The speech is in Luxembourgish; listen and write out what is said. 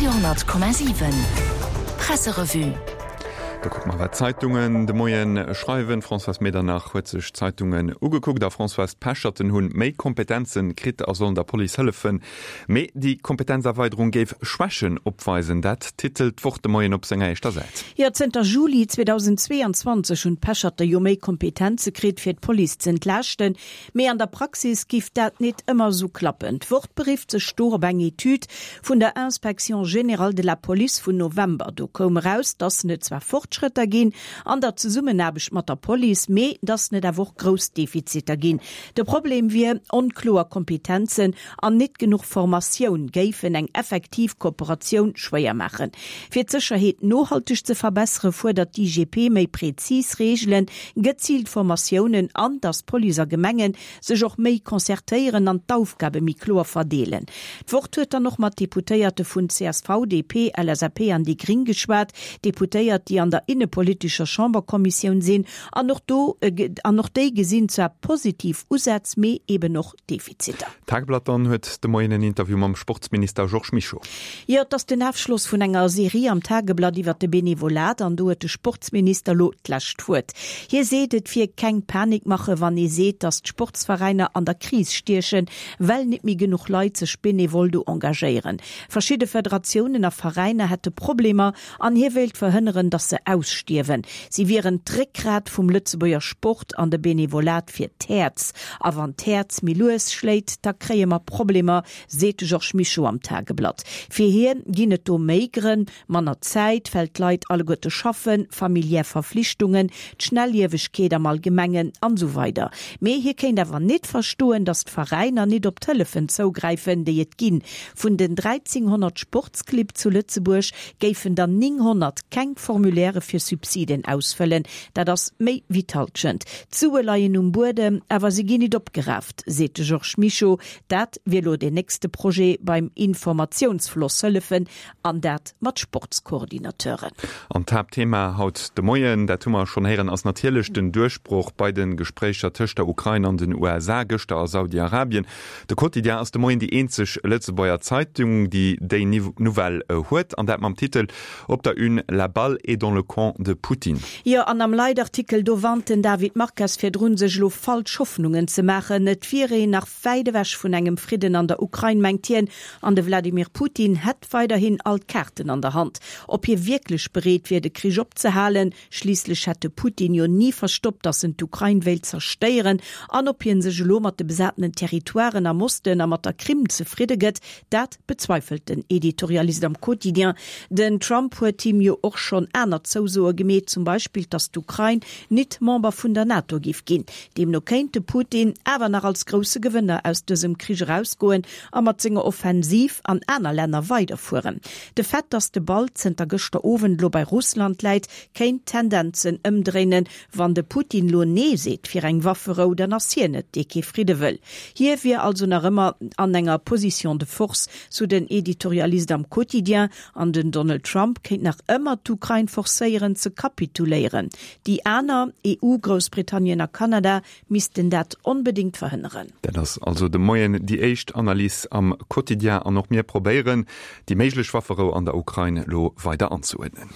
Radio 10,7 Presserevue. Da kucke mer, wat d'Zeitungen de Moien schreiwen. D'Françoise Medernach huet sech d'Zeitungen ugekuckt. A Françoise, d'Pecherten hunn méi Kompetenzen kritt a sollen der Police hëllefen. Mee déi Kompetenzerweiderung géif Schwächen opweisen. Dat titelt d'Wort de Moien op senger éischter Säit. Jo, zënter Juli 2022 hunn d'Pecherte jo méi Kompetenze kritt, fir d'Police z'entlaaschten. Mee an der Praxis giff dat nit ëmmer esou klappen. D'Wort berifft sech do op eng Etüd vun der Inspection générale de la police vun November. Do koum eraus, dass net zwar Fortschrëtter ginn an der Zesummenaarbecht mat der Police, mee dass net awer och grouss Defiziter ginn. De Problem wier, onkloer Kompetenzen an nit genuch Formatioun géifen eng effektiv Kooperatioun schwéier maachen. Fir d'Sécherheet nohalteg ze verbessere fuerdert d'IGP méi prezis Reegelen, geziilt Formatiounen an datt Police a Gemenge sech och méi concertéieren an d'Aufgabe méi kloer verdeelen. D'Wort huet dann och mat Deputéierte vun csv, DP, LSAP an déi Gring geschwat, Deputéiert, déi an der innepolitescher Chamberkommissioun sinn an och do an och déi gesinn zwar positiv Usätz, mee eben och Defiziter. D'Tageblatt dann huet de Moien en Interview mam Sportsminister Georges Mischo. Jo, et ass den Afschloss vun enger Serie am Tageblatt iwwert de Benevolat an do huet de Sportsminister lo d'lescht Wuert. Hie seet, et wier keng Panik maache wann ee seet, datt d'Sportsveräiner an der Kris stiechen, well nit méi genuch Leit sech benevol do engagéieren. Verschidde Federatiounen a Veräiner hätte Problemer An hie wéilt verhënneren, datt se ausstierwen. Si wieren d'Réckgrat vum Lëtzebuerger Sport an de Benevolat fir d'Häerz. A wann d'Häerz méi lues schléit, da kréie mer Problemer, seet de Georges Mischo am Tageblatt. Fir hie ginn et do méi Grënn, manner Zäit, well d'Leit alleguerte schaffen, familiär Verflichtungen, d'Schnelliewegkeet am Allgemengen an esou weider. Mee hie kéint awer nit verstoen, datt d'Veräiner nit op d'Hëllefen zougräifen, déi et ginn. Vun den 1.300 Sportsclibb zu Lëtzebuerg géifen der 900 keng Formulairë fir Subsiden ausfëllen. Dat ass méi wéi d'Hallschent. D'Sue leien um Buedem, awer se ginn nit opgeraaft, seet de Georges Mischo. Dat wier lo deen nächste Projet, beim Informatiounsfloss hëllefen, an dat mat Sportscoordinateuren. An d'Haaptthema haut de Moien, dat hu mer schonn héieren, ass natierlech den Duerchbroch bei de Gespréicher tëscht der Ukrain an den USA gëschter a Saudi-Arabien. De Quotidien ass de Moien déi eenzeg Lëtzebuerger Zeitung, déi déi Nouvelle huet, an dat mam Titel op der Une La balle est dans le camp de Poutine. Jo, an am Leitartikel do warnt den David Marques virdrun, sech elo falsch Hoffnungen ze maachen. Et wier een nach wäit ewech vun engem Fridden an der Ukrain, mengt hien, an de Wladimir Putin hätt weiderhin all d'Kaarten an der Hand. Ob hie wierklech bereet wier, de Krich opzehalen, Schliisslech hätt de Putin jo ni verstoppt, datt en d'Ukrain wéilt zerstéieren. An ob hien sech elo mat de besatenen Territoiren am Osten a mat der Krim zefridde gëtt, dat bezweifelt den Editorialist am Quotidien. Den Trump huet him jo och schonn aner Zousoe gemeet, zum Beispill, datt d'Ukrain nit Member vun der NATO giff ginn. Deemno kéint de Putin awer nach als grousse Gewënner aus dësem Krich erausgoen a mat senger Offensiv an aner Länner weiderfueren. De Fait, datt de Ball zënter gëschter Owend lo bei Russland läit, kéint d'Tendenzen ëmdréinen. Wann de Putin lo Nee seet fir eng Wafferou, dann ass hien et, dee kee Fridde wëll. Hie wier also nach ëmmer an enger Position de force, sou den Editorialist am Quotidien. An den Donald Trump kéint nach ëmmer d'Ukrain forcéieren ze kapituléieren. Déi aner, EU, Groussbritannien a Kanada, missten dat onbedéngt verhënneren. Dat ass also de Moien déi éischt Analys am Quotidien an och mir probéieren, déi méiglech Wafferou an der Ukrain elo weider anzeuerdnen.